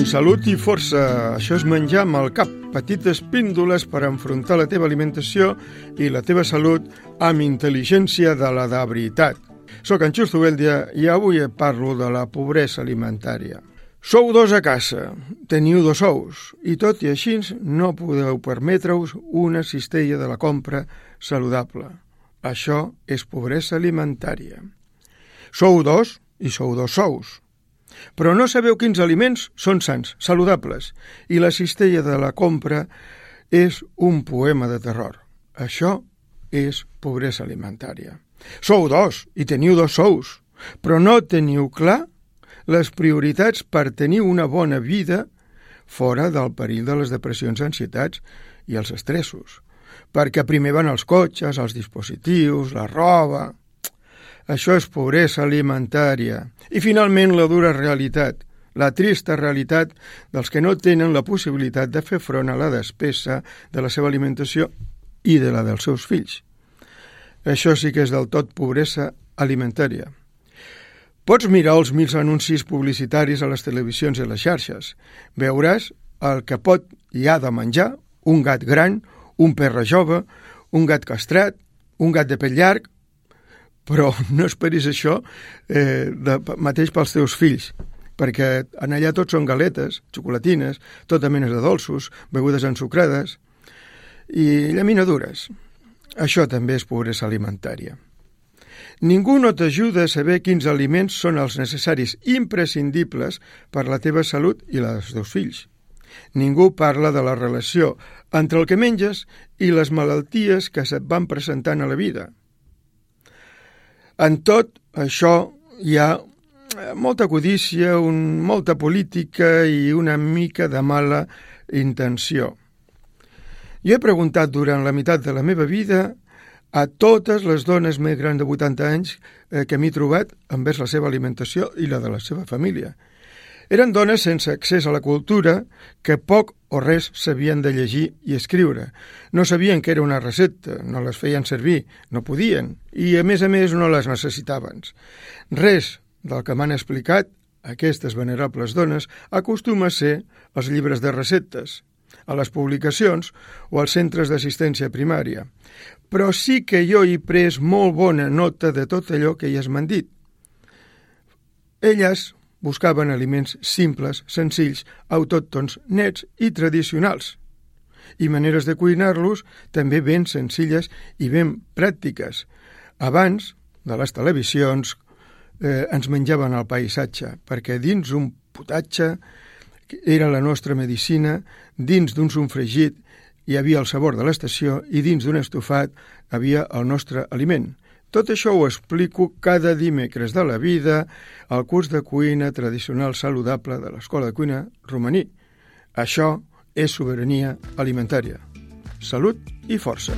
Salut i força, això és menjar amb el cap, petites píndoles per enfrontar la teva alimentació i la teva salut amb intel·ligència de la de veritat. Soc en Justo Beldia i avui parlo de la pobresa alimentària. Sou dos a casa, teniu dos ous i tot i així no podeu permetre-us una cistella de la compra saludable. Això és pobresa alimentària. Sou dos i sou dos sous. Però no sabeu quins aliments són sants, saludables, i la cistella de la compra és un poema de terror. Això és pobresa alimentària. Sou dos i teniu dos sous, però no teniu clar les prioritats per tenir una bona vida fora del perill de les depressions, ansietats i els estressos. Perquè primer van els cotxes, els dispositius, la roba. Això és pobresa alimentària. I finalment la dura realitat, la trista realitat dels que no tenen la possibilitat de fer front a la despesa de la seva alimentació i de la dels seus fills. Això sí que és del tot pobresa alimentària. Pots mirar els 1000 anuncis publicitaris a les televisions i a les xarxes. Veuràs el que pot i ha de menjar un gat gran, un perro jove, un gat castrat, un gat de pell llarg, però no esperis això mateix pels teus fills, perquè en allà tot són galetes, xocolatines, tota mena de dolços, begudes ensucrades i llaminadures. Això també és pobresa alimentària. Ningú no t'ajuda a saber quins aliments són els necessaris imprescindibles per la teva salut i la dels teus fills. Ningú parla de la relació entre el que menges i les malalties que se't van presentant a la vida. En tot això hi ha molta codícia, molta política i una mica de mala intenció. Jo he preguntat durant la meitat de la meva vida a totes les dones més grans de 80 anys que m'he trobat envers la seva alimentació i la de la seva família. Eren dones sense accés a la cultura que poc o res sabien de llegir i escriure. No sabien que era una recepta, no les feien servir, no podien, i a més no les necessitaven. Res del que m'han explicat aquestes venerables dones acostuma a ser els llibres de receptes, a les publicacions o als centres d'assistència primària. Però sí que jo he pres molt bona nota de tot allò que elles m'han dit. Elles buscaven aliments simples, senzills, autòctons, nets i tradicionals, i maneres de cuinar-los també ben senzilles i ben pràctiques. Abans de les televisions ens menjaven el paisatge, perquè dins un potatge era la nostra medicina, dins d'un sofregit hi havia el sabor de l'estació i dins d'un estofat havia el nostre aliment. Tot això ho explico cada dimecres de la vida al curs de cuina tradicional saludable de l'Escola de Cuina Romaní. Això és sobirania alimentària. Salut i força!